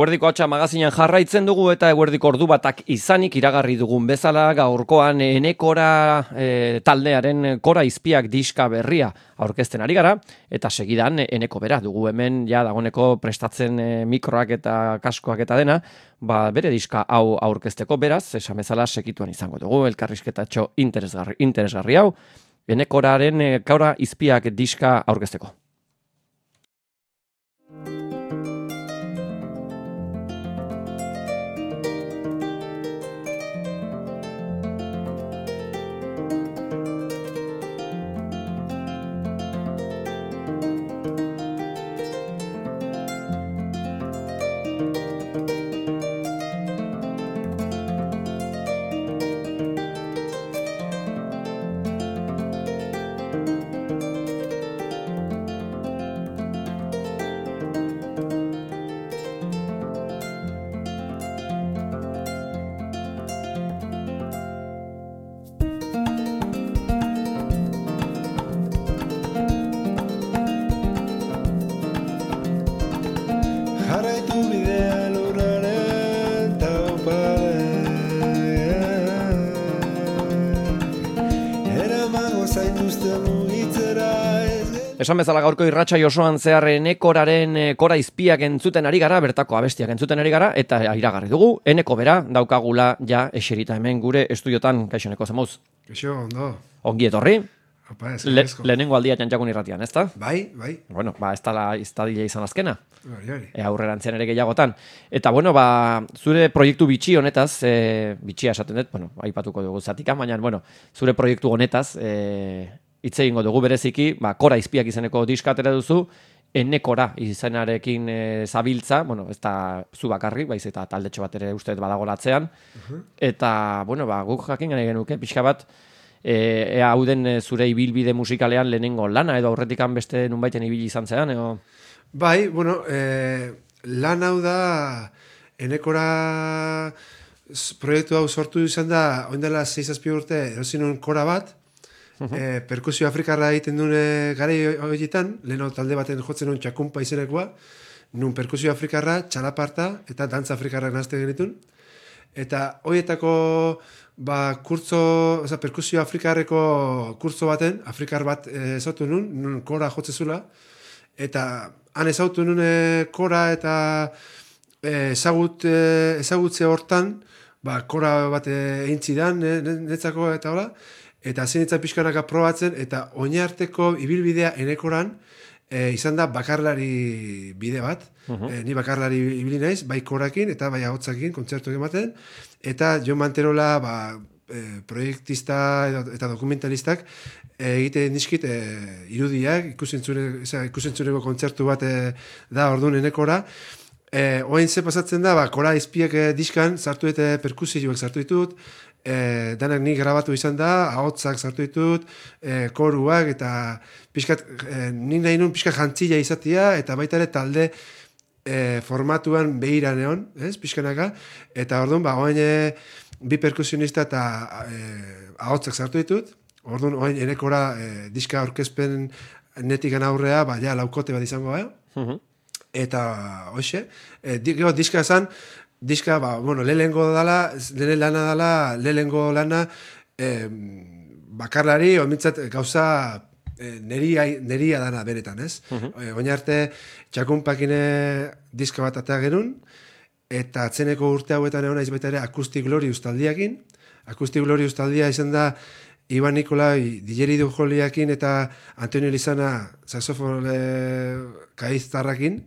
Eguerdiko Hatxa magazinan jarraitzen dugu eta eguerdiko ordu batak izanik iragarri dugun bezala gaurkoan Enekora taldearen Kora Izpiak diska berria aurkezten ari gara eta segidan Eneko bera dugu hemen ja dagoneko prestatzen mikroak eta kaskoak eta dena, bere diska hau aurkezteko beraz, esan bezala segituan izango dugu elkarrizketatxo interesgarri hau Enekoraren Kora Izpiak diska aurkezteko. Esan bezala gaurko irratsai osoan zehar Enekoraren Kora Izpiak entzuten ari gara, bertako abestiak entzuten ari gara, eta iragarri dugu, Eneko bera daukagula ja eserita hemen gure estudiotan, kaixo Eneko, zemuz? Kaixo, ondo. Ongi etorri? Opa, lehenengo aldia Jantjakun irratian, ezta? Bai. Bueno, ez da dila izan azkena. Bai. Aurrerantzean ere gehiagotan. Eta bueno, zure proiektu bitxi honetaz, bitxia esaten dut, aipatuko dugu zatika, baina, zure proiektu honetaz, hitz egingo dugu bereziki, Kora Izpiak izeneko diska atera duzu, Enekora izenarekin zabiltza, ez da zu bakarrik, baiz eta taldetxo bat ere uste badago latzean, eta, guk jakin gane genuke, pixka bat, ea hau den zure ibilbide musikalean lehenengo lana, edo aurretikan beste nunbaiten ibili izan zean, edo... Bai, lan hau da, Enekora proiektu hau sortu izan da, oindela 6-7 urte, erosinun kora bat, perkusio afrikarra egiten dune gare horietan, leheno talde baten jotzen nun txakumpa izenekoa, nun perkusio afrikarra, txalaparta eta dantza afrikarrak nazte genitun. Eta horietako perkusio afrikarreko kurtzo baten, afrikar bat ezautu nun kora jotzezula, eta han ezautu nun kora eta ezagutze hortan, kora bat egintzidan, netzako eta hola, eta zenitza pixkanaka probatzen, eta oinarteko ibilbidea Enekoran izan da bakarlari bide bat. Ni bakarlari ibili naiz, bai korakin eta bai ahotsakin kontzertuak ematen, eta Jon Manterola proiektista eta dokumentalistak egiten dizkit irudiak, ikusentzuneko kontzertu bat da orduan Enekora. Oain ze pasatzen da, Kora Izpiak diskan sartu eta perkusioak sartu ditut, danak nik grabatu izan da, ahotsak sartu ditut, koruak, eta pixkat, nik nahi nun pixkat jantzila izatea, eta baita ere talde formatuan behira neon, pixkanaka, eta orduan, oain bi perkusionista eta ahotsak sartu ditut, orduan, oain Enekora diska aurkezpen netikan aurrea, ja laukote bat izango, eta, hoxe, diska esan, diska, lehenengo lana, bakarlari, omintzat gauza neria dana beretan, ez? Oin arte, txakumpakine diska bat atea genuen, eta atzeneko urte hauetan egon naiz baita ere Acoustic Glorious taldiakin. Acoustic Glorious taldia izan da Iban Nikolai, Dileri Dujoliakin eta Antonio Lizana saxofone kaiztarrakin,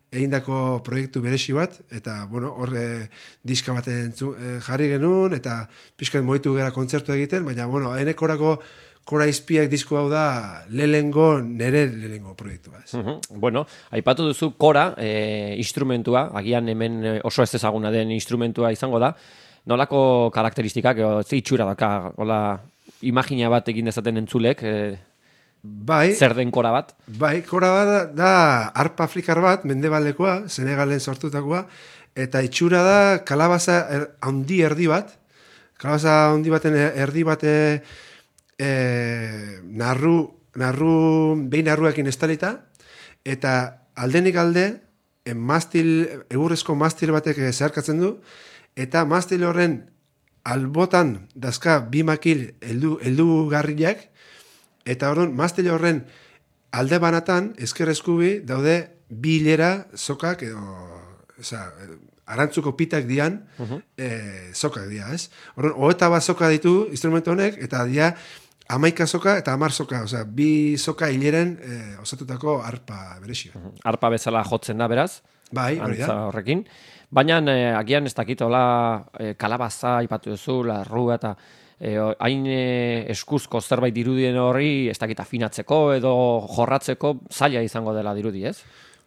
egindako proiektu beresi bat, eta, horre diska baten jarri genuen, eta pixkat moitu gara kontzertu egiten, baina, Enekorako Kora Izpiak disko hau da nere lehenengo proiektua. Aipatu duzu Kora instrumentua, agian hemen oso ez ezaguna den instrumentua izango da, nolako karakteristikak, itxura daka, imagina bat egin dezaten entzulek, zer den kora bat? Bai, kora bat da arpa afrikar bat, mendebaldekoa, Senegalen sortutakoa, eta itxura da kalabaza handi erdi bat, kalabaza handi baten erdi bat behin narruekin estalita, eta aldenik alde egurrezko mastil batek zeharkatzen du, eta mastil horren albotan dazka bi makil heldu garriak, eta orduan mastil horren alde banatan, ezker eskubi, daude bi hilera sokak, arantzuko pitak dian, sokak dia, ez? Orduan, 21 soka ditu instrumento honek, eta dia 11 soka eta 10 soka, bi soka hileren osatutako arpa berezio. Arpa bezala jotzen da, beraz? Bai, hori da. Horrekin. Baina, agian ez dakitola kalabaza, ipatu duzu, larrua eta hain eskuzko zerbait dirudien horri, ez dakit afinatzeko edo jorratzeko zaila izango dela dirudi, ez?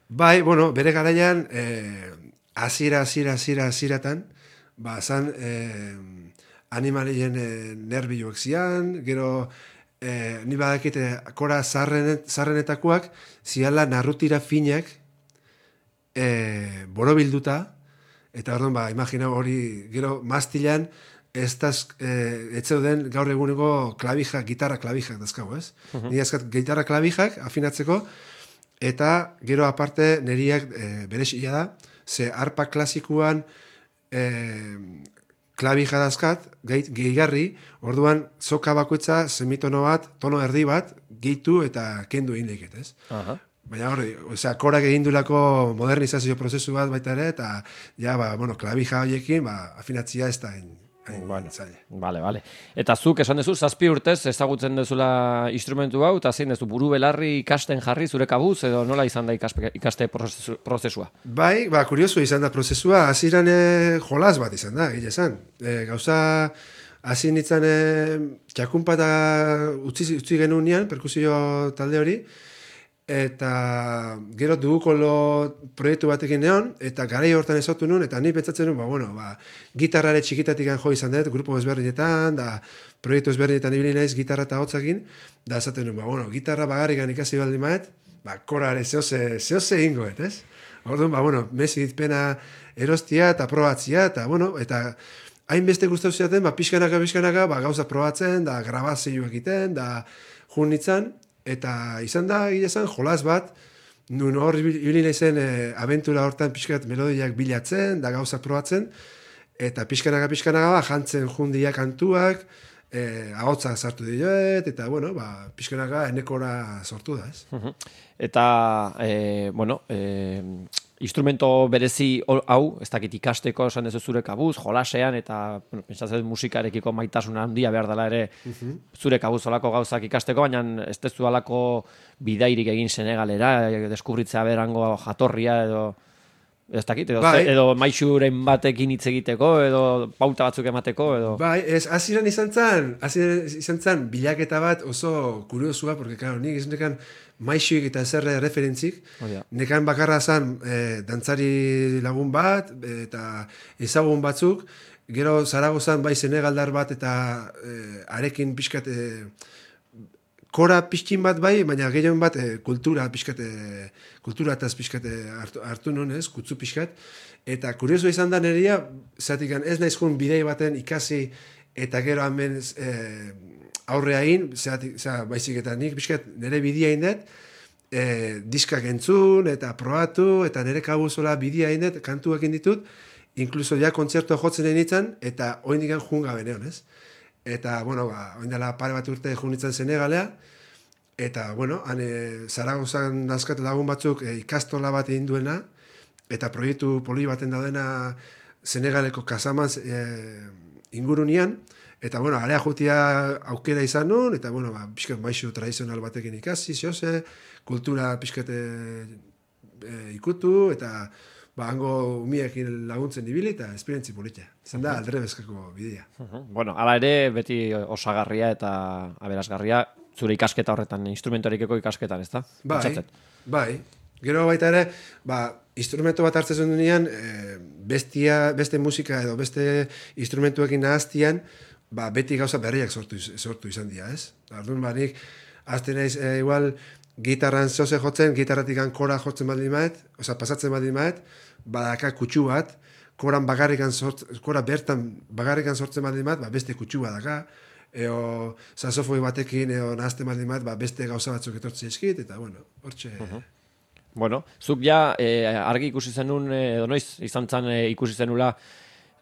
Bai, bueno, bere garaian, aziratan, zan animalien nervioak zian, gero ni badakite kora zarrenetakoak ziala narrutira finak borobilduta, eta orduan, imagina hori, gero mastilan ez zeuden gaur eguneko klabijak, gitarra klabijak dazkago, ez? Ni azkat gitarra klabijak afinatzeko, eta gero aparte neriak berezia da, ze arpa klasikuan klabija dazkat, gehigarri, orduan soka bakoitza semitono bat, tono erdi bat, gehitu eta kendu egin leiket, ez? Baina hori, korak egin dulako modernizazio prozesu bat baita ere, eta ja, klabija horiekin, afinatzia ez da zaila. Bale. Eta zuk esan duzu, 7 urtez ezagutzen duzula instrumentu hau, eta zein duzu, buru belarri ikasten jarri zure kabuz, edo nola izan da ikaste prozesua? Bai, kurioso izan da prozesua, hasieran jolas bat izan da, gile esan. Gauza, hasi nintzen txakunpa eta utzi genuen nian, perkusio talde hori, eta gero dugukolo proiektu batekin neon, eta garai hortan ezotu nun, eta ni pentsatzen nun, gitarrare txikitatik jo izan dut, grupo ezberdinetan, da proiektu ezberdinetan ibili naiz gitarra eta hotzakin, da esaten nun, gitarra bagarrikan ikasi baldi maet, korare zehose ingoet, ez? Orduan, mezi ditpena erostia eta probatzia, eta hainbeste gustatu ziaten, pixkanaka, gauza probatzen, da grabazioak egiten, da jun nitzan, eta izan da, jolas bat, nun hor ibili naizen abentura hortan pixkat melodiak bilatzen, da gauza probatzen, eta pixkanaka jantzen jundiak kantuak, ahotsa sartu dioet, eta, pixkanaka enekora sortu da, ez? Eta, instrumento berezi hau, ez dakit ikasteko esan dezu zure kabuz, jolasean, eta pentsatzen musikarekiko maitasuna handia behar dela ere zure kabuz olako gauzak ikasteko, baina ez dezu alako bidairik egin Senegalera, deskubritzea berango jatorria edo ez dakit, edo maixuren batekin hitz egiteko, edo pauta batzuk emateko, edo... Bai, hasieran izan zan bilaketa bat oso kuriosua, porque, claro, nik ez nekan maixuik eta zerre referentzik, nekan bakarra zan dantzari lagun bat, eta ezagun batzuk, gero Zaragozan bai Senegaldar bat, eta arekin pixkat... Kora pixkin bat bai, baina gehien bat kultura eta pixkat hartu non ez, kutzu pixkat. Eta kurioso izan da neria, zatik ez naizkun bidei baten ikasi eta gero hemen aurrea egin, baizik eta nik pixkat nire bidea indet, diskak entzun eta probatu, eta nire kabuzola bidea indet, kantuak inditut, inkluso ja kontzertu jotzen egin eta oin digan junga beneon ez. Eta, oindela pare bat urte junitzen Senegalea, eta, Zaragozan nazkat lagun batzuk ikastola bat egin duena, eta proiektu poli baten daudena Senegaleko Casamance ingurunian, eta, alea jutia aukera izan nun, eta, pixkat maixu tradizional batekin ikasi, zehose, kultura pixkat ikutu, eta, hango umiekin laguntzen ibili eta esperientzi politia. Zan da, aldre bezkako bidea. Hala ere, beti osagarria eta aberasgarria, zure ikasketa horretan, instrumentorikeko ikasketan, ez da? Bai. Gero baita ere, instrumento bat hartzen duenean, beste musika edo beste instrumentuekin nahaztian, beti gauza berriak sortu izan dira, ez? Orduan, nik, azten naiz, igual, gitarran zoze jotzen, gitarratik kora jotzen baldin maet, pasatzen baldin maet, badaka kutsu bat, kora bertan bagarrikan sortzen baldin maet, beste kutsu bat daka, eo sasofoi batekin, eo nahazten baldin maet, beste gauza batzuk etortzen eskit, eta hortxe... Bueno, zuk ja argi ikusi zenun, edo noiz izan zen ikusi zenula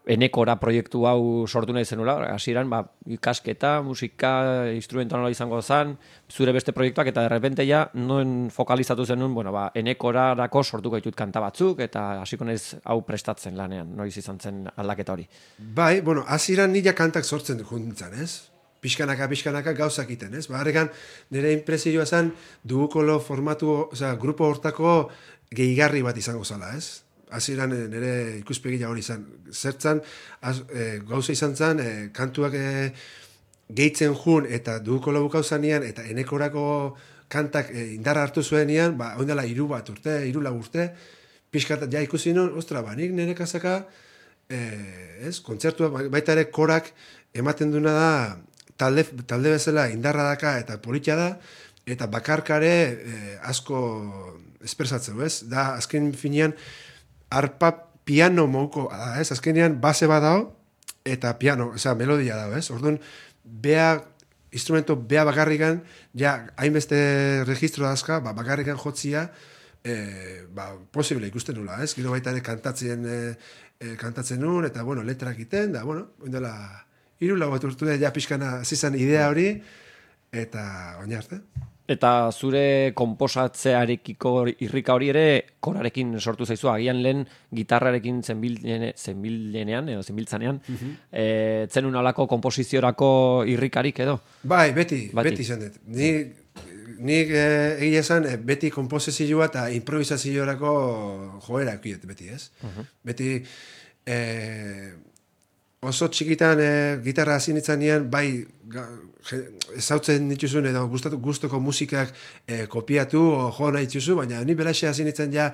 enekora proiektu hau sortu nahi zenula, hasieran ikasketa, musika, instrumentala izango zen, zure beste proiektuak, eta derrepente ja, noen fokalizatu zenun, enekorarako sortuko ditut kanta batzuk, eta hasiko naiz hau prestatzen lanean, noiz izan zen aldaketa hori. Bai, hasieran nila kantak sortzen juntzen, ez? Pixkanaka gauzak iten, ez? Harrekan, nire impresioa zen, dugukolo formatu, grupo hortako gehigarri bat izango zala, ez? Hasieran nire ikuspegia hori izan. Zertzan, gauza izan zen, kantuak gehitzen jun, eta dugukolo bukau zanean, eta enekorako kantak indarra hartu zuenean, oindala 3 urte, pixkat ja ikusi nun, nik nire kasaka, kontzertua, baita ere korak ematen duna da, talde bezala indarra daka eta politia da, eta bakarkare asko espresatzeu, ez? Da, azken finean, arpa piano mouko, ez? Azkenean base bat dao, eta piano, melodia dao, ez? Orduan, instrumento bea bakarrikan, ja, hainbeste registro dazka, bakarrikan jotzia, posible ikusten nula, ez? Gero baita ere kantatzen nun, eta, letrak iten, da, oindela, 3 bat urtu da, ja pixkana zizan idea hori, eta oina arte. Eta zure konposatzearekiko irrika hori ere korarekin sortu zaizu, agian lehen gitarrarekin zenbiltzanean, zenun alako komposiziorako irrikarik edo? Bai, beti izan dut. Nik egia esan, beti komposizioa eta improvisaziorako joera ekiet, beti, ez? Beti, oso txikitan gitarra hasi nitzanean, bai, ezautzen dituzun edo gustoko musikak kopiatu o jo nahi dituzu, baina ni belaxe hasi nitzen ja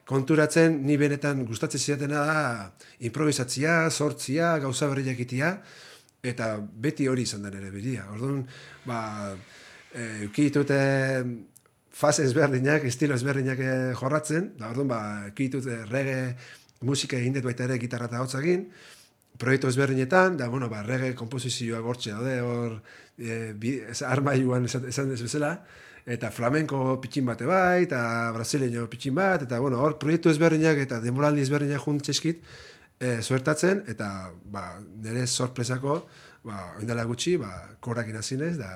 konturatzen, ni benetan gustatzen zidatena da improvisatzia, sortzia, gauza berriak itia, eta beti hori izan da nire bidia. Orduan, eukitut fase ezberdinak, estilo ezberdinak jorratzen, da orduan, eukitut reggae musika egin dut baita ere gitarra eta hotzakin, proiektu ezberdinetan, da, reggae komposizioa gortxe daude, hor, armailuan esan dezu bezala, eta flamenko pitxin bate bai, eta brasileño pitxin bat, eta, hor, proiektu ezberdinak eta demoraldi ezberdinak juntzeskit zuertatzen, eta, nire sorpresako, oindala gutxi, korakin azinez, da...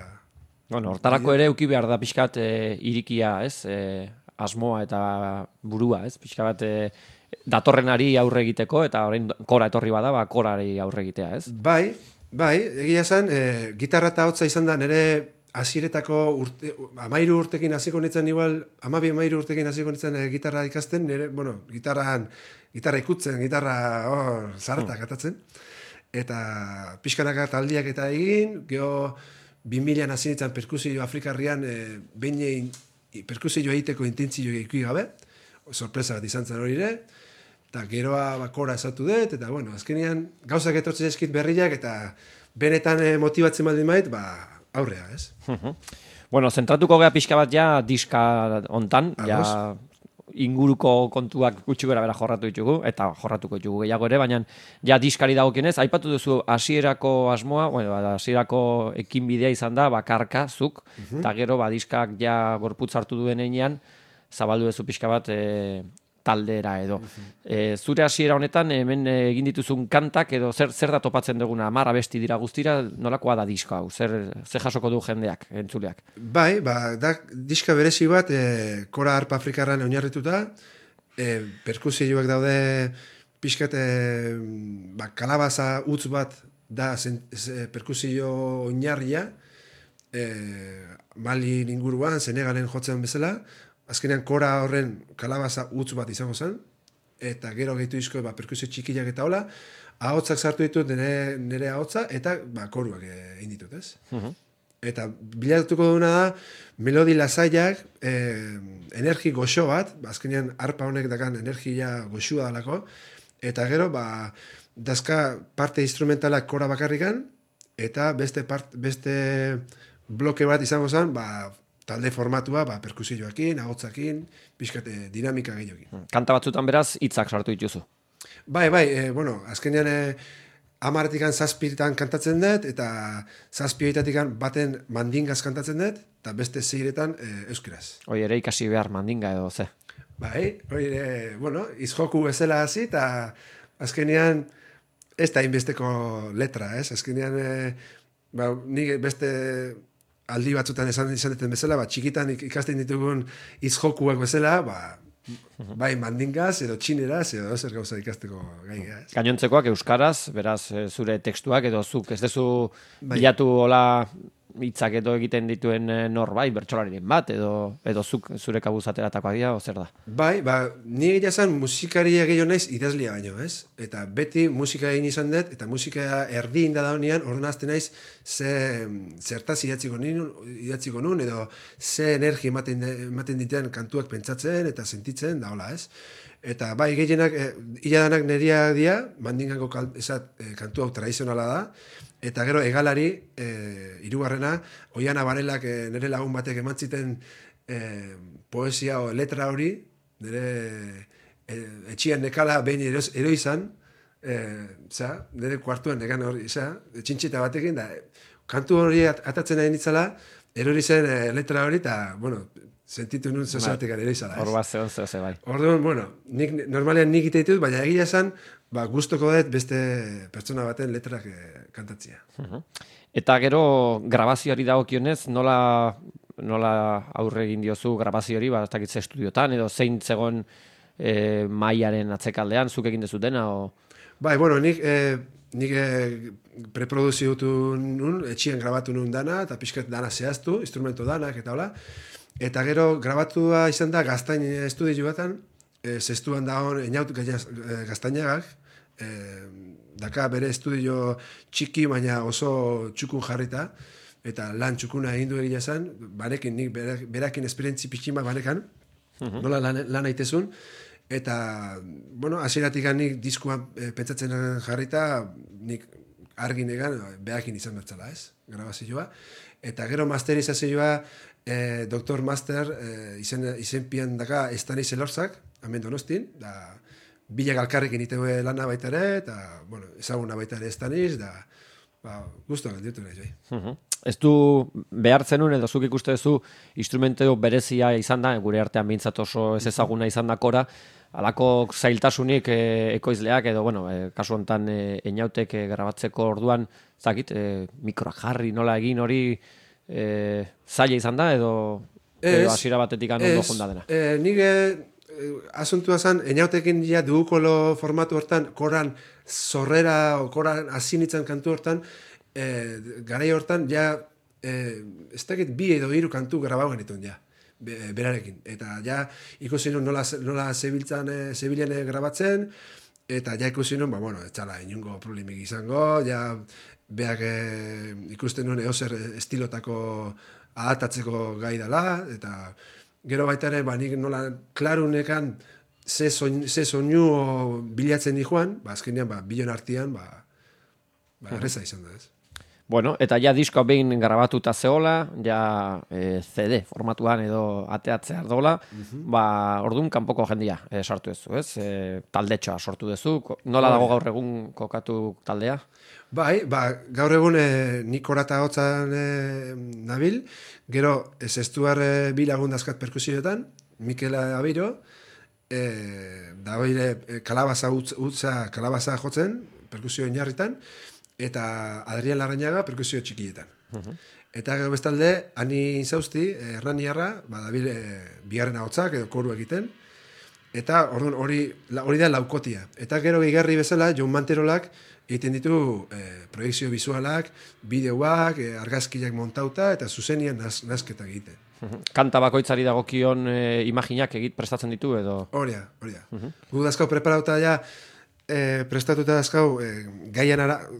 Hortarako ere euki behar da pixkat irikia, ez? Asmoa eta burua, ez? Pixka bat... datorrenari aurre egiteko, eta orain kora etorri bada, korari aurre egitea, ez? Bai, egia esan, gitarra eta hotza izan da nire hasiretako 13 urtekin hasiko nintzen, igual, 12-13 urtekin hasiko nintzen gitarra ikasten, nire, gitarra ikutzen, gitarra zartak atatzen, eta pixkanaka taldiak eta egin, geho 2000an hasi nintzen perkusio afrikarrian, behin perkusio egiteko intentzio ikusi gabe, sorpresa bat izan zen hori ere, eta geroa kora esatu dut, eta azkenean gauzak etortzen eskit berriak, eta benetan motibatzen baldin bait, aurrea, ez? Zentratuko gea pixka bat ja diska hontan, ja inguruko kontuak gutxi gora bera jorratu ditugu, eta jorratuko ditugu gehiago ere, baina ja diskari dagokienez, aipatu duzu hasierako asmoa, hasierako ekinbidea izan da, bakarka, zuk, eta gero diskak ja gorputz hartu duen einean, zabaldu duzu pixka bat taldera edo. Zure hasiera honetan, hemen egin dituzun kantak edo zer da topatzen duguna, 10 abesti dira guztira, nolakoa da diska hau, zer jasoko du jendeak, entzuleak? Bai, da diska berezi bat, kora arpa afrikarran oinarrituta, perkusioak daude pixkat kalabaza utz bat da perkusio oinarria, Malin inguruan, Senegalen jotzen bezala, azkenean kora horren kalabaza utz bat izango zen, eta gero gehitu izko perkusio txikiak eta hola, ahotzak sartu ditut nire ahotza, eta koruak egin ditut, ez? Eta bilatuko duna da, melodi lasaiak, energi goxo bat, azkenean arpa honek dakan energia goxua dalako, eta gero, dazka parte instrumentalak kora bakarrikan, eta beste bloke bat izango zen, talde formatua, perkusioakin, ahotzakin, pixkate dinamika gehiokin. Kanta batzutan beraz, hitzak sartu dituzu. Bai, azkenean 10-tik 7 kantatzen dut, eta 7 baten mandingaz kantatzen dut, eta beste 6 euskeraz. Hoi ere ikasi behar mandinga edo ze. Bai, hori, bueno, izjoku bezala hasi, eta azkenean ez da inbesteko letra, ez? Azkenean, nik beste aldi batzutan esan duten bezala, txikitan ikasten ditugun izjokuak bezala, bai mandingaz, edo txineraz, edo zer gauza ikasteko gaia, ez? Gainontzekoak euskaraz, beraz, zure tekstuak edo zuk ez dezu bilatu hola hitzak edo egiten dituen norbait, bertsolariren bat, edo zuk zure kabuz ateratakoak dira, o zer da? Bai, ni egia zan musikaria gehiago naiz idazlia baino, ez? Eta beti musika egin izan dut, eta musika erdi inda daunean, orduan azten naiz zertaz idatziko nun, edo ze energia ematen ditean kantuak pentsatzen eta sentitzen, da hola, ez? Eta bai, gehienak, hiladanak neriak dira, mandingako kantu hau tradizionala da, eta gero egalari, hirugarrena, Oiana Barelak nire lagun batek emantziten poesia o letra hori, nire etxian nekala behin eroizan, nire kuartuan negan hori, txintxita batekin, da, kantu hori atatzen nahi nitzala, erori zen letra hori, eta, bueno, sentitu nun zezatik eroizala. Hor bat zehon ze bai. Orduan, bueno, normalean nik ite ditut, baina egia esan, gustoko dut beste pertsona baten letrak kantatzea. Eta gero grabazioari dagokionez, nola aurre egin diozu grabazioari, ez dakit ze estudiotan, edo zein zegoen mailaren atzekaldean, zuk egin dezu dena, o... Bai, bueno, nik preproduziotu nun, etxien grabatu nun dana, eta pixkat dana zehaztu, instrumento danak, eta hola. Eta gero grabatua izan da Gaztain estudio batan, zestuan dagoen Einaut Gaztainagak, daka bere estudio txiki, baina oso txukun jarrita, eta lan txukuna egin du egia zen, banekin, nik berakin esperientzi pixima banekan, nola lan aitezun, eta, bueno, hasieratik nik diskuan pentsatzen jarrita, nik argin egan, berakin izan batzala, ez, grabazioa, eta gero masterizazioa, Doktor Master izenpian daka Estaniz Elorzak, hemen Donostin, da bilak alkarrekin iteue lana baita ere, eta, bueno, ezaguna baita ere Estaniz, da, guztuak alditu nahi, jai. Ez du behartzen nun, edo zuk ikuste duzu instrumenteo berezia izan da, gure artean behintzat oso ez ezaguna izan da kora, alako zailtasunik ekoizleak, edo, bueno, kasu honetan Einautek grabatzeko orduan, zakit, mikroak jarri, nola egin hori, zaila izan da, edo hasiera batetik ondo jonda dena? Nik asuntua zen, Einautekin ja dugukolo formatu hortan, koran zorrera, o koran azinitzen kantu hortan, garai hortan, ja, ez dakit 2 edo 3 kantu grabau genituen, ja, berarekin. Eta ja, ikusi nun nola zebilen grabatzen, eta ja ikusi nun, bueno, etxala, inungo problemik izango, ja, beak ikusten nuen eozer estilotako adaptatzeko gai dela, eta gero baita ere, nik nola klarunekan ze soinu bilatzen dijoan, azkenean, bilon artean, erreza izan da, ez. Bueno, eta ja diskoa behin grabatuta zehola, ja CD formatuan edo ateatzea ardola, orduan kanpoko jendia sartu duzu, ez? Taldetxoa sortu duzu, nola dago gaur egun kokatu taldea? Bai, gaur egun nik orata hotzan nabil, gero zestuar bi lagun dazkat perkusioetan, Mikel Abiro, da hori kalabaza jotzen, perkusio inarritan, eta Adrian Larrañaga perkusio txikietan. Eta gero bestalde, Ani Inzausti, Erraniarra, dabil bigarren ahotzak edo koru egiten, eta orduan hori da laukotia. Eta gero gehigarri bezala, Jon Manterolak egiten ditu proiekzio bisualak, bideoak, argazkiak montauta, eta zuzenian nazketak egiten. Kanta bakoitzari dagokion imaginak prestatzen ditu edo? Hori da. Gu dazkau preparauta ja, prestatuta dazkau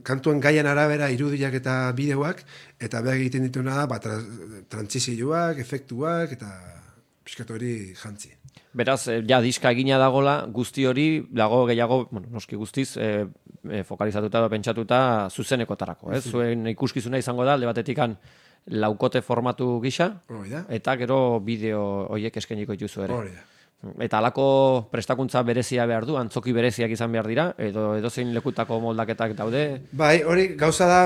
kantuan gaian arabera irudiak eta bideoak, eta behar egiten dituna da trantzizioak, efektuak, eta pixkat hori jantzi. Beraz, ja diska egina dagola, guzti hori, dago gehiago, bueno, noski guztiz, fokalizatuta edo pentsatuta zuzenekotarako, ez? Zuen ikuskizuna izango da, alde batetikan laukote formatu gisa, eta gero bideo horiek eskainiko dituzu ere. Hori da. Eta halako prestakuntza berezia behar du, antzoki bereziak izan behar dira, edo edozein lekutako moldaketak daude? Bai, hori gauza da,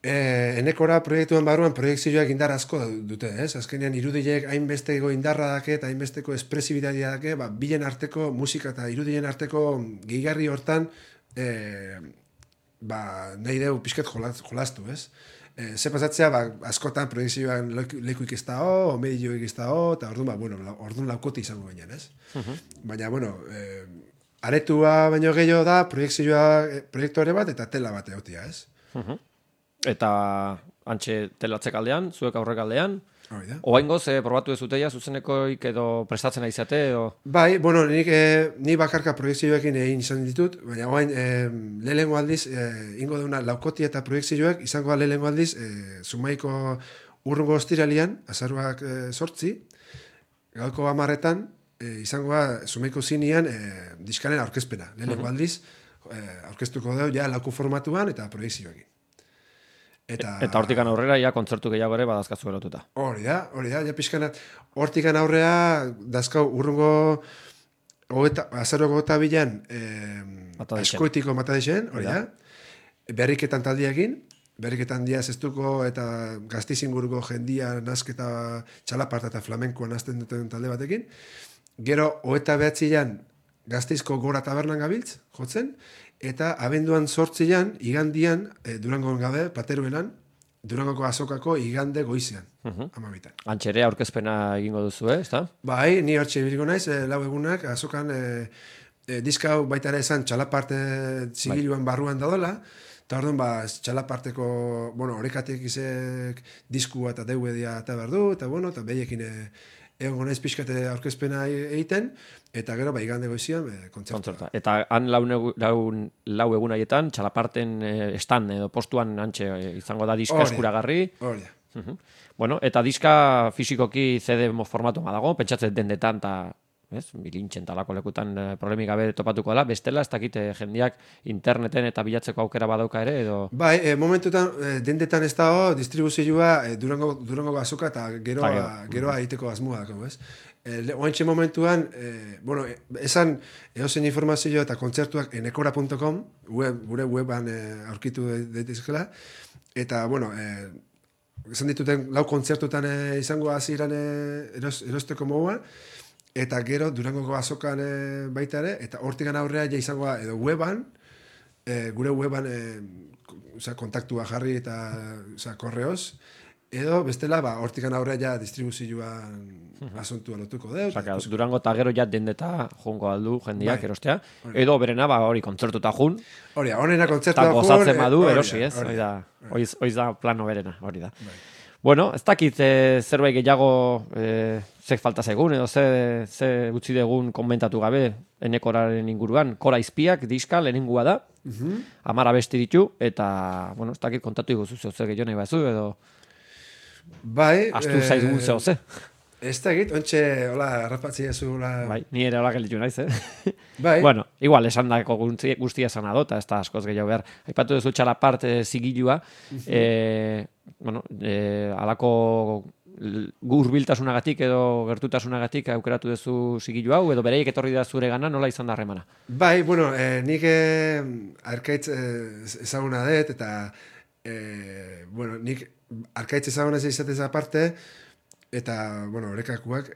enekora proiektuan barruan proiekzioak indar asko dute, ez? Azkenean irudiek hainbesteko indarra dake eta hainbesteko espresibitatea dake, bilen arteko musika eta irudien arteko gehigarri hortan nahi deu pixket jolastu, ez? Ze pasatzea, askotan proiekzioan lekuik ez da o medioik ez da eta orduan laukoti izango ginen, ez? Baina, aretua baino gehiago da proiektore bat eta tela bat egotia, ez? Eta antxe telatzek aldean, zuek aurrek aldean, oaingoz, probatu ez zuteia zuzenekoik edo prestatzen aizate? Bai, ni bakarka proiektzioekin egin izan ditut, baina oain lehenengo aldiz, ingo deuna laukoti eta proiektzioek, izango da lehenengo aldiz, Zumaiko urrungo ostiralian, azaruak 8, gauko 10etan, izango da Zumaiko zinean diskaren aurkezpena. Lehenengo aldiz, aurkeztuko dugu ja lauku formatuan eta proiektzioekin. Eta hortikan aurrera, ja, kontzertu gehiago ere badazkazu erotuta. Hori da, ja pixkana, hortikan aurrera, dazkau urrungo azaroko eta bilan askoitiko matadexen, hori da, berriketan taldiakin, berriketan dia zestuko eta gaztizinguruko jendia nazketa txalaparta eta flamenkoan nazten duten talde batekin, gero, 29an Gazteizko Gora Tabernan gabiltz, jotzen, eta abenduan 8an, igandian, Durangon gabe, Plateruelan, Durangoko azokako igande goizean, 12. Antxere aurkezpena egingo duzu, ezta? Bai, ni hortxe ibiliko naiz, lau egunak, azokan diska hau baita ere esan txalaparte zigiluan barruan dadola, eta orduan, txalaparteko, horrekatik izek diskua eta DVD-a eta behar du, eta behiekin egon naiz pixkate aurkezpena egiten, eta gero, igande goizian, kontzertua. Eta han lau egun haietan, txalaparten estan edo postuan antxe izango da diska eskuragarri. Hori da. Eta diska fisikoki CD formatu dago, pentsatzen dendetan, eta bilintxen talako lekutan problemik gabe topatuko dela, bestela, ez dakite jendiak interneten eta bilatzeko aukera badauka ere, edo... Bai, momentutan, dendetan ez dago, distribuzioa Durango azoka eta geroa egiteko asmoa dago, ez? Oantxe momentuan, esan eozen informazio eta kontzertuak enekora.com, gure weban aurkitu daitezkela, eta, esan dituten lau kontzertutan izango hasieran erosteko moduan, eta gero Durangoko azokan baita ere, eta hortikan aurrea ja izango da, edo weban, gure weban kontaktua jarri eta korreoz, edo bestela, hortikan aurrea ja distribuzioan asuntua lotuko deu. Durango eta gero ja dendeta jongo aldu jendiak erostea, edo berena hori kontzertuta jun. Hori da, honena kontzertuta jun. Eta gozatzen badu erosi, ez? Hori da plano berena, hori da. Ez dakit zerbait gehiago zek falta zaigun, edo ze utzi degun komentatu gabe enekoraren inguruan. Kora izpiak, diska, lehenengua da, 10 abesti ditu, eta, ez dakit kontatu iguzu ze gehiago nahi bazu, edo astu zaizugun ze. Ez da egit, ontxe, hola, rapatzia zu, hola... Bai, ni ere hola gelditu naiz, Bai. Igual, esan dako guztia esan adota, ez da askoz gehiago behar. Aipatu duzu txalapart zigilua, alako hurbiltasunagatik edo gertutasunagatik aukeratu duzu zigilu hau, edo bereiek etorri da zure gana, nola izan da harremana? Bai, nik arkaitz ezaguna dut, eta nik arkaitz ezaguna izatez aparte, eta, horrekakuak,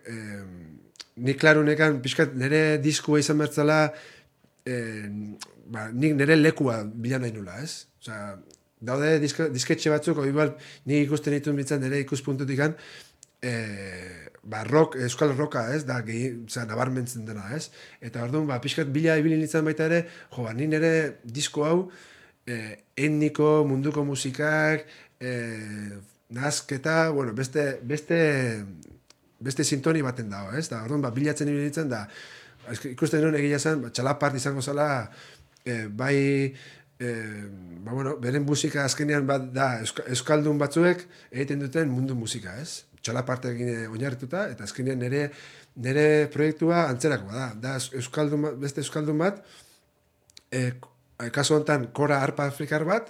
nik klarunekan, pixkat, nire diskua izan bertzala, nik nire lekua bilan nahi nula, ez? Osa, daude disketxe batzuk, igual, nik ikusten dituen bitzen nire ikuspuntutikan, euskal roka, ez? Da, nabarmentzen dena, ez? Eta orduan, pixkat, bila ibilin nintzen baita ere, nik nire disko hau, etniko, munduko musikak, nazketa, beste sintoni baten dago, ez? Da, orduan, bilatzen ibilitzen, da, ikusten nuen egia zen, txalapart izango zela, beren musika azkenean da, euskaldun batzuek egiten duten mundu musika, ez? Txalapartekin oinarrituta, eta azkenean nire proiektua antzerakoa da. Da, beste euskaldun bat, kasu honetan, kora arpa afrikar bat,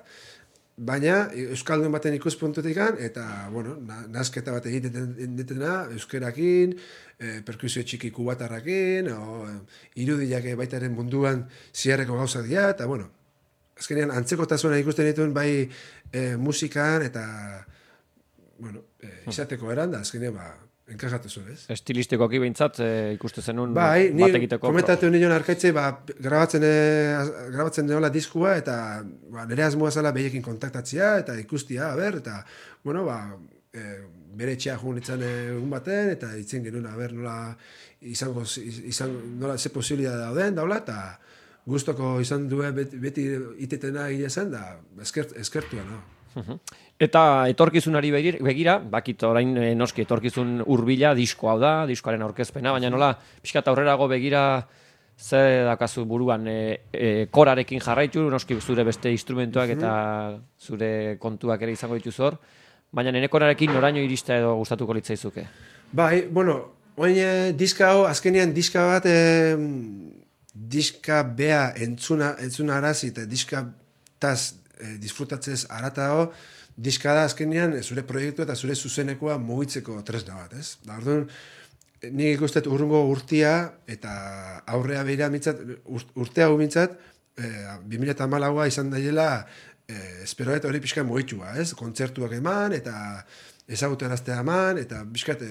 baina euskaldun baten ikuspuntutikan, eta, bueno, nazketa bat egitena, euskerakin, perkusio txiki kubatarrakin, irudiak baitaren munduan ziarreko gauzak dira, eta, bueno, azkenean antzekotasuna ikusten dituen bai musikan, eta, bueno, izateko eran, da, azkenean, enkajatu zuen, ez? Estilistikoki behintzat ikuste zenun bai, bat egiteko. Komentatu nion arkaitzei, grabatzen deola diskua, eta nire asmoa zela behiekin kontaktatzea, eta ikustia, eta, bueno, bere etxea jugun itzan egun baten, eta itzen genuen, nola nola ze posibilidad dauden, daula, eta gustoko izan duen beti itetena egia zen, da eskertua, no? Eta etorkizunari begira, bakit orain noski etorkizun hurbila disko hau da, diskoaren aurkezpena, baina nola pixkat aurrerago begira ze dakazu buruan korarekin jarraitu, noski zure beste instrumentuak eta zure kontuak ere izango dituzu hor, baina nire korarekin noraino irista edo gustatuko litzaizuke? Bai, bueno, oin diska hau, azkenean diska bat, diska bea entzuna arazi, eta diska taz disfrutatzez aratago, diska da azkenean zure proiektu eta zure zuzenekoa mugitzeko tresna bat, ez? Da, orduan, nik ikustet urrungo urtia eta aurrea behira mintzat, urtea gu mintzat, 2014a izan daiela, esperoet hori pixka mugitua, ez? Kontzertuak eman eta ezaguteraztea eman, eta pixkat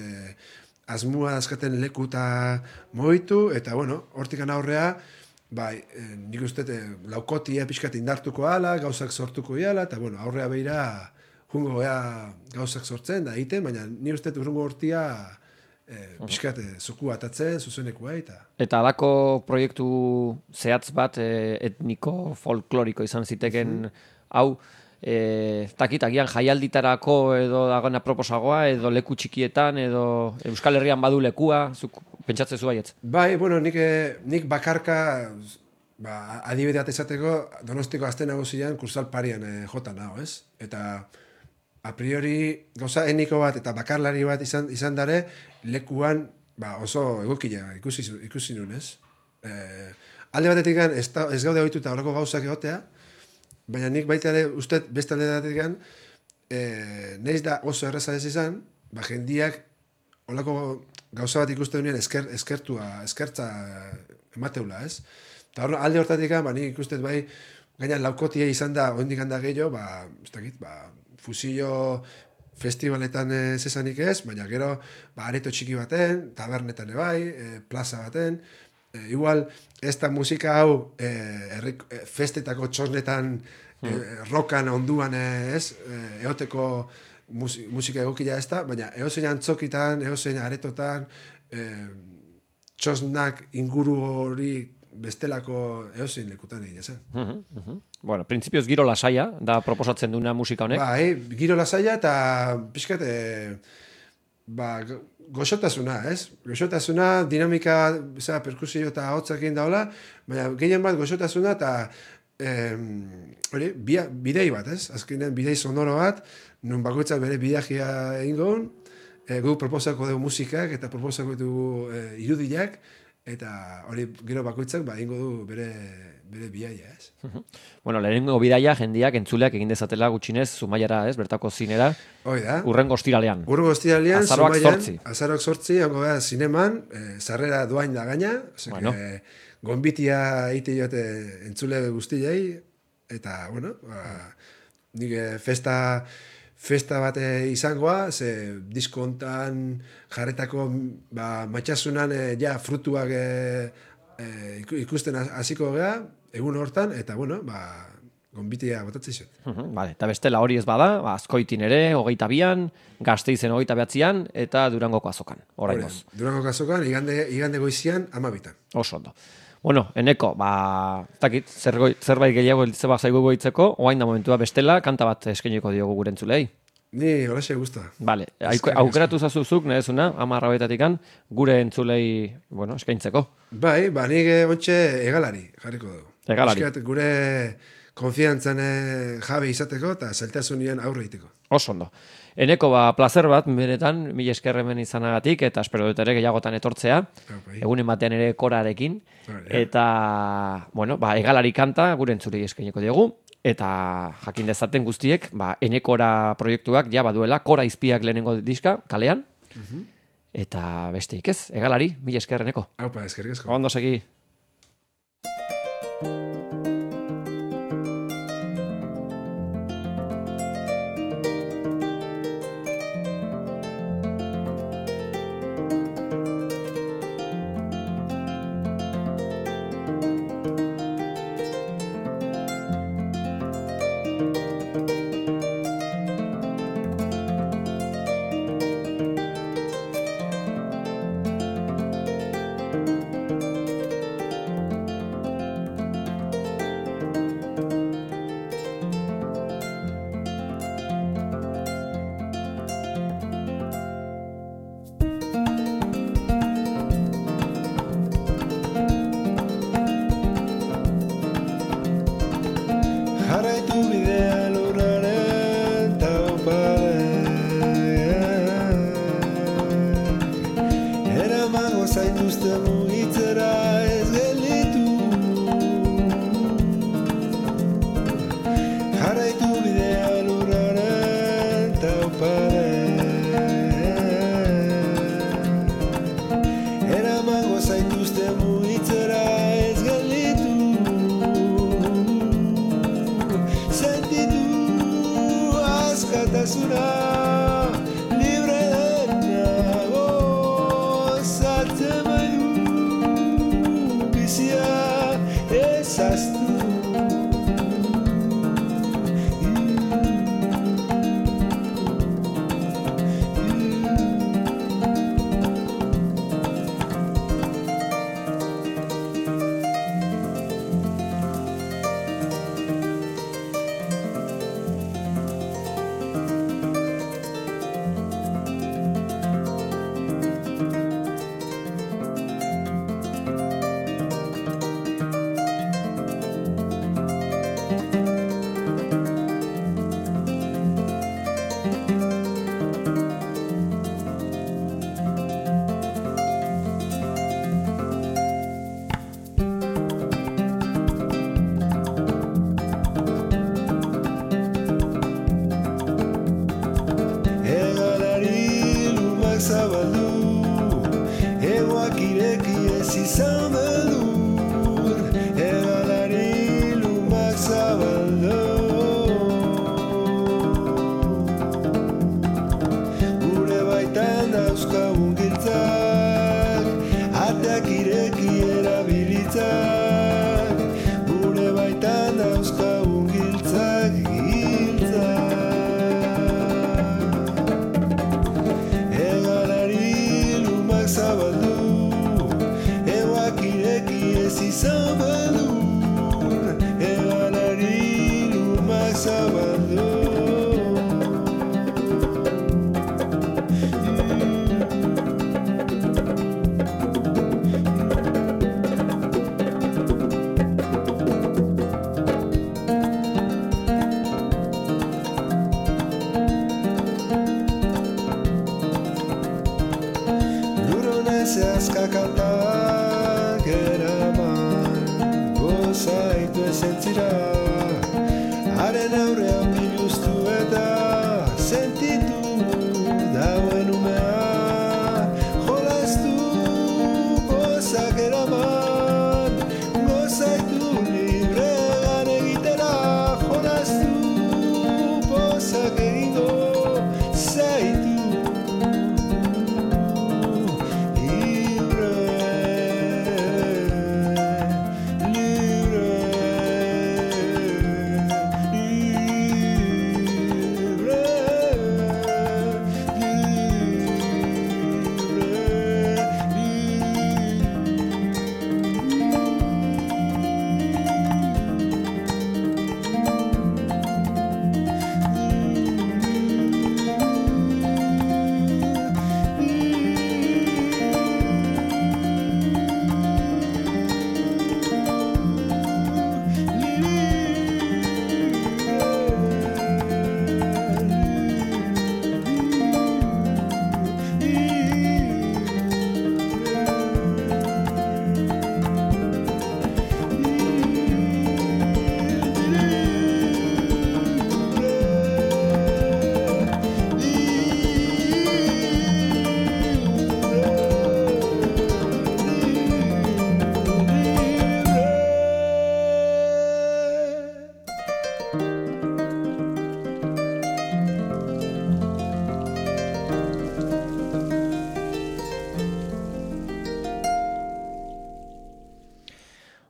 asmua azkaten leku eta mugitu, eta bueno, hortikan aurrea, bai, nik uste laukotia pixkat indartuko ala, gauzak sortuko ala, eta bueno, aurrea behira jungo gauzak sortzen da egiten, baina nik uste urrungo hortia pixkat zoku atatzen, zuzenekua eta... Eta alako proiektu zehatz bat etniko folkloriko izan ziteken hau, takitagian jaialditarako edo dagona proposagoa, edo leku txikietan, edo Euskal Herrian badu lekua, zuk pentsatzezu baietz? Bai, bueno, nik bakarka, adibide bat esateko, Donostiko Aste Nagusian kursal parian jota nago, ez? Eta a priori gauza etniko bat eta bakarlari bat izan dare, lekuan oso egokila ikusi nun, ez? Alde batetik ez gaude ohituta horreko gauzak egotea, baina nik baita ere uste beste alde batetik neiz da oso erraza ez izan, jendiak holako gauza bat ikusten duen eskertza emateula, ez? Eta alde hortatik, nik ikustet bai, gaina laukotia izan da, oindik handa gehiago, ez dakit, fusillo festivaletan zesanik ez, baina gero, areto txiki baten, tabernetan bai, plaza baten, igual, ez da musika hau festetako txosnetan, rokan onduan ez, eoteko musika egokila ez da, baina eozein antzokitan, eozein aretotan, txosnak inguru hori bestelako eozein lekutan egin zen. Bueno, printzipioz giro lasaia, da proposatzen duna musika honek. Bai, giro lasaia eta pixkat, goxotasuna, ez? Goxotasuna, dinamika, perkusio eta hotzakin daula, baina gehien bat goxotasuna eta bidei bat, ez? Azkenean bidei sonoro bat, nun bakoitzak bere bideagia egingo gu proposako dugu musikak eta proposako dugu irudiak, eta hori gero bakoitzak egingo du bere bidaia, ez? Bueno, lehenengo bidaia jendiak entzuleak egin dezatela gutxinez Zumaiara, ez? Bertako zinera. Hoi da. Urrengo ostiralean. Azaroak 8. Azaroak 8, hango da zineman, sarrera doain da gaina, bueno. Gonbitia egite joate entzule guztiei, eta, bueno, nik festa bat izangoa, ze disko hontan jarretako matxasunan frutuak ikusten hasiko gea, egun hortan, eta, bueno, gonbitia botatzen zuen. Vale, eta bestela hori ez bada, Azkoitin ere, 22an, Gasteizen 29an, eta Durangoko azokan, oraingoz. Durangoko azokan, igande goizian, 12an. Oso ondo. Bueno, Eneko, takit, zerbait gehiago zeba zaigu goitzeko, oain da momentua bestela, kanta bat eskainiko diogu gure entzulei. Ni holaxe gusta. Vale, aukeratu zazuzuk, nahezuna, 10 gure entzulei, eskaintzeko. Bai, nik ontxe egalari jarriko dugu. Egalari. Eskat, gure konfiantzan jabe izateko eta zailtasunien aurre egiteko. Oso ondo. Eneko, plazer bat, benetan, mila esker hemen izanagatik, eta espero dut ere gehiagotan etortzea, egunen batean ere korarekin, eta, egalari kanta, gure entzulei eskainiko diogu, eta jakin dezaten guztiek, Enekora proiektuak ja baduela, Kora izpiak lehenengo diska, kalean, eta besteik ez, egalari, mila esker Eneko. Aupa, eskerrik asko. Ondo segi.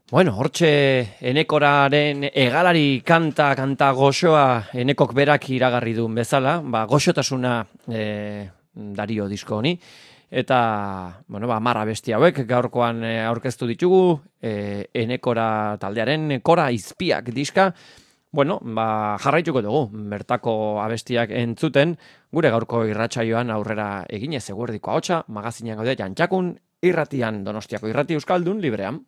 Bueno, hortxe enekoraren egalari kanta goxoa enekok berak iragarri duen bezala, goxotasuna dario disko honi, eta, bueno, 10 abesti hauek gaurkoan aurkeztu ditugu, enekora taldearen kora izpiak diska, bueno, jarraituko dugu, bertako abestiak entzuten, gure gaurko irratsaioan aurrera eginez eguerdiko ahotsa, magazinean gaude Jantxakun irratian, Donostiako irrati euskaldun librean.